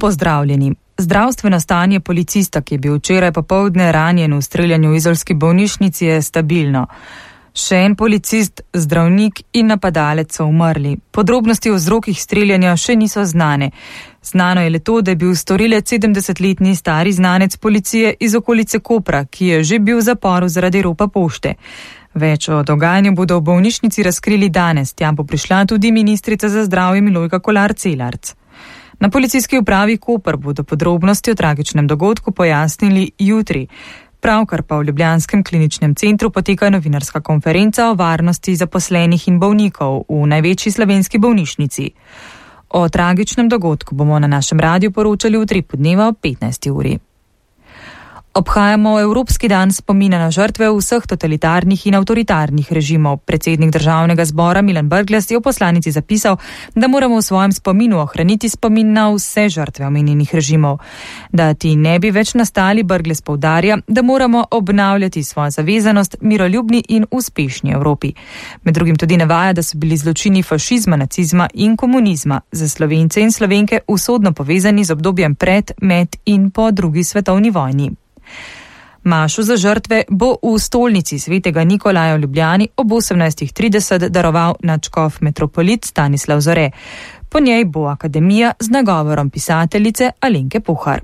Pozdravljeni. Zdravstveno stanje policista, ki je bil včeraj popoldne ranjen v streljanju v izolski bolnišnici, je stabilno. Še en policist, zdravnik in napadalec so umrli. Podrobnosti o vzrokih streljanja še niso znane. Znano je le to, da je bil storilec 70-letni stari znanec policije iz okolice Kopra, ki je že bil v zaporu zaradi ropa pošte. Več o dogajanju bodo v bolnišnici razkrili danes, tja bo prišla tudi ministrica za zdravje Milojka Kolar Celarc. Na policijski upravi Koper bodo podrobnosti o tragičnem dogodku pojasnili jutri. Pravkar pa v Ljubljanskem kliničnem centru poteka novinarska konferenca o varnosti zaposlenih in bolnikov v največji slovenski bolnišnici. O tragičnem dogodku bomo na našem radiju poročali v 3 dneva ob 15. uri. Obhajamo Evropski dan spomina na žrtve vseh totalitarnih in avtoritarnih režimov. Predsednik državnega zbora Milan Brglez je v poslanici zapisal, da moramo v svojem spominu ohraniti spomin na vse žrtve omenjenih režimov. Da ti ne bi več nastali, Brglez poudarja, da moramo obnavljati svojo zavezanost miroljubni in uspešni Evropi. Med drugim tudi navaja, da so bili zločini fašizma, nacizma in komunizma za Slovence in Slovenke usodno povezani z obdobjem pred, med in po drugi svetovni vojni. Mašo za žrtve bo v stolnici svetega Nikolaja v Ljubljani ob 18:30 daroval nadškof metropolit Stanislav Zore. Po njej bo akademija z nagovorom pisateljice Alenke Pohar.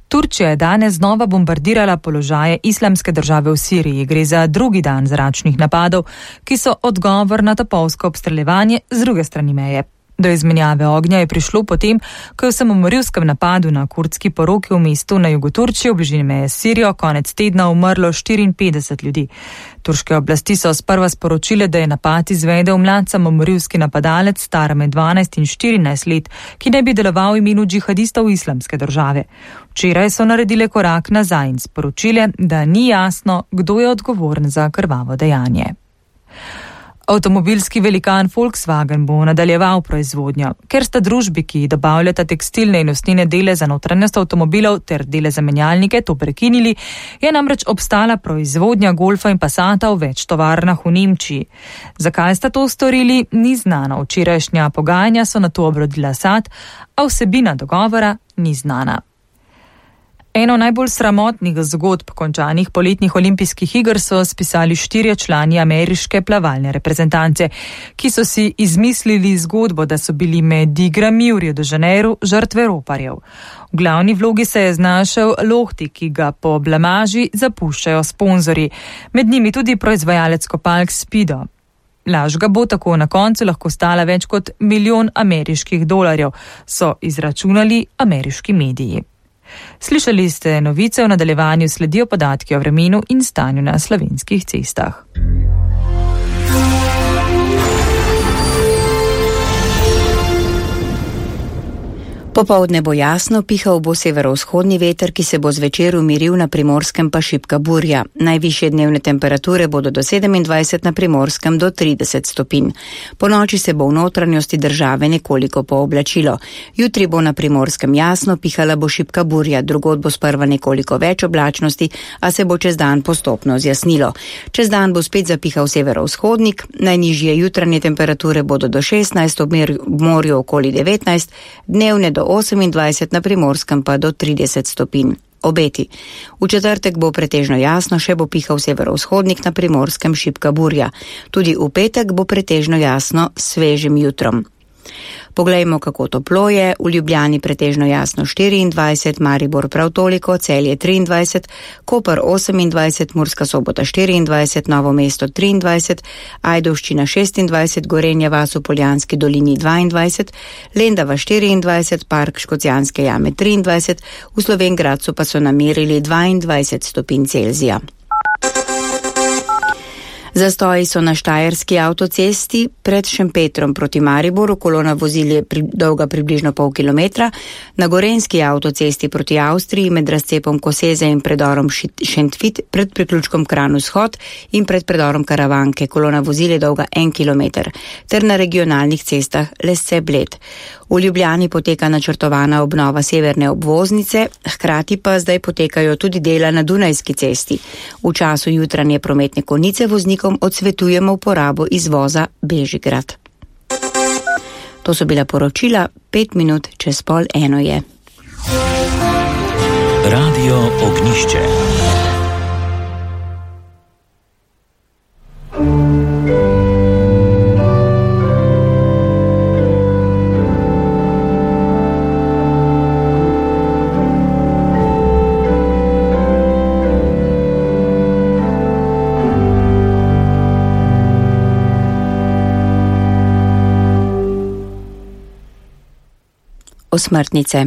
Turčija je danes znova bombardirala položaje Islamske države v Siriji. Gre za drugi dan zračnih napadov, ki so odgovor na topovsko obstreljevanje z druge strani meje. Do izmenjave ognja je prišlo potem, ko je v samomorilskem napadu na kurdski poroki v mestu na jugu Turčije v bližini meje s Sirijo konec tedna umrlo 54 ljudi. Turške oblasti so sprva sporočile, da je napad izvedel mlad samomorilski napadalec star med 12 in 14 let, ki ne bi deloval v imenu džihadistov Islamske države. Včeraj so naredile korak nazaj in sporočile, da ni jasno, kdo je odgovoren za krvavo dejanje. Avtomobilski velikan Volkswagen bo nadaljeval proizvodnjo. Ker sta družbi, ki dobavljata tekstilne in usnjene dele za notranjost avtomobilov ter dele za menjalnike, to prekinili, je namreč obstala proizvodnja Golfa in Passata v več tovarnah v Nemčiji. Zakaj sta to storili, ni znano. Včerajšnja pogajanja so nato obrodila sad, a vsebina dogovora ni znana. Eno najbolj sramotnih zgodb končanih poletnih olimpijskih iger so spisali 4 člani ameriške plavalne reprezentance, ki so si izmislili zgodbo, da so bili med igrami v Rio de Janeiro žrtve roparjev. V glavni vlogi se je znašel Lohti, ki ga po blamaži zapuščajo sponzorji, med njimi tudi proizvajalec kopalk Speedo. Laž ga bo tako na koncu lahko stala več kot $1 milijon ameriških dolarjev, so izračunali ameriški mediji. Slišali ste novice, v nadaljevanju sledijo podatki o vremenu in stanju na slovenskih cestah. Popoldne bo jasno, pihal bo severovzhodni veter, ki se bo zvečer umiril, na Primorskem pa šibka burja. Najvišje dnevne temperature bodo do 27, na Primorskem do 30 stopinj. Po noči se bo v notranjosti države nekoliko pooblačilo. Jutri bo na Primorskem jasno, pihala bo šibka burja, drugod bo sprva nekoliko več oblačnosti, a se bo čez dan postopno zjasnilo. Čez dan bo spet zapihal severovzhodnik, najnižje jutranje temperature bodo do 16, ob morju okoli 19, dnevne do 28, na Primorskem pa do 30 stopinj. Obeti. V četrtek bo pretežno jasno, še bo pihal severovzhodnik, na Primorskem šibka burja. Tudi v petek bo pretežno jasno s svežim jutrom. Poglejmo, kako toplo je. V Ljubljani pretežno jasno 24, Maribor prav toliko, Celje 23, Koper 28, Murska Sobota 24, Novo mesto 23, Ajdovščina 26, Gorenja vas v Poljanski dolini 22, Lendava 24, Park Škocjanske jame 23, v Slovenj Gradcu pa so namerili 22 stopinj Celzija. Zastoji so na Štajerski avtocesti pred Šempetrom proti Mariboru, kolona vozil je dolga približno pol kilometra, na Gorenjski avtocesti proti Avstriji med razcepom Koseze in predorom Šentvid pred priključkom Kranj vzhod in pred predorom Karavanke, kolona vozil je dolga 1 kilometer, ter na regionalnih cestah Lesce Bled. V Ljubljani poteka načrtovana obnova severne obvoznice, hkrati pa zdaj potekajo tudi dela na Dunajski cesti. V času jutranje prometne konice voznikom odsvetujemo uporabo izvoza Bežigrad. To so bila poročila, 5 minut čez 12:30 je. Radio Ognišče. Osmrtnice.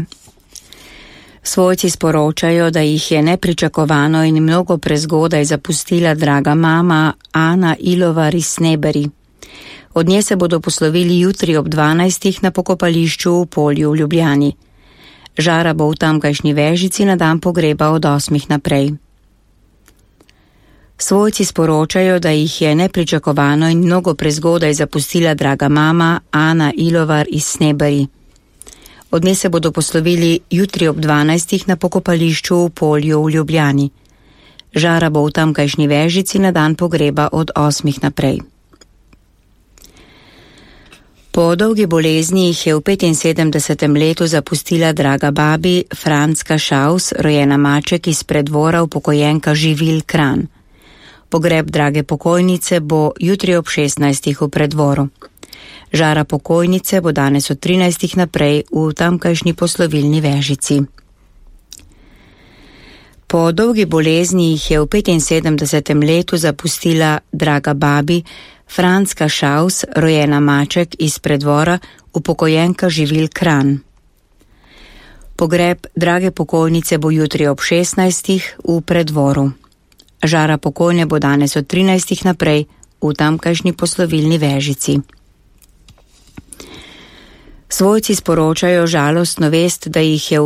Svojci sporočajo, da jih je nepričakovano in mnogo prezgodaj zapustila draga mama Ana Ilovar iz Sneberi. Od nje se bodo poslovili jutri ob 12. na pokopališču v Polju v Ljubljani. Žara bo v tamkajšnji Vežici na dan pogreba od 8. naprej. Svojci sporočajo, da jih je nepričakovano in mnogo prezgodaj zapustila draga mama Ana Ilovar iz Sneberi. Od nje se bodo poslovili jutri ob 12. na pokopališču v Polju v Ljubljani. Žara bo v tamkajšnji Vežici na dan pogreba od 8. naprej. Po dolgi bolezni jih je v 75. letu zapustila draga babi Franska Šaus, rojena Maček iz Preddvora, upokojenka Živil Kranj. Pogreb drage pokojnice bo jutri ob 16. v Preddvoru. Žara pokojnice bo danes od 13. naprej v tamkajšnji poslovilni Vežici. Po dolgi bolezni jih je v 75. letu zapustila draga babi Franska Šaus, rojena Maček iz Preddvora, upokojenka Živil Kranj. Pogreb drage pokojnice bo jutri ob 16. v Preddvoru. Žara pokojne bo danes od 13. naprej v tamkajšnji poslovilni Vežici. Svojci sporočajo žalostno vest, da jih je v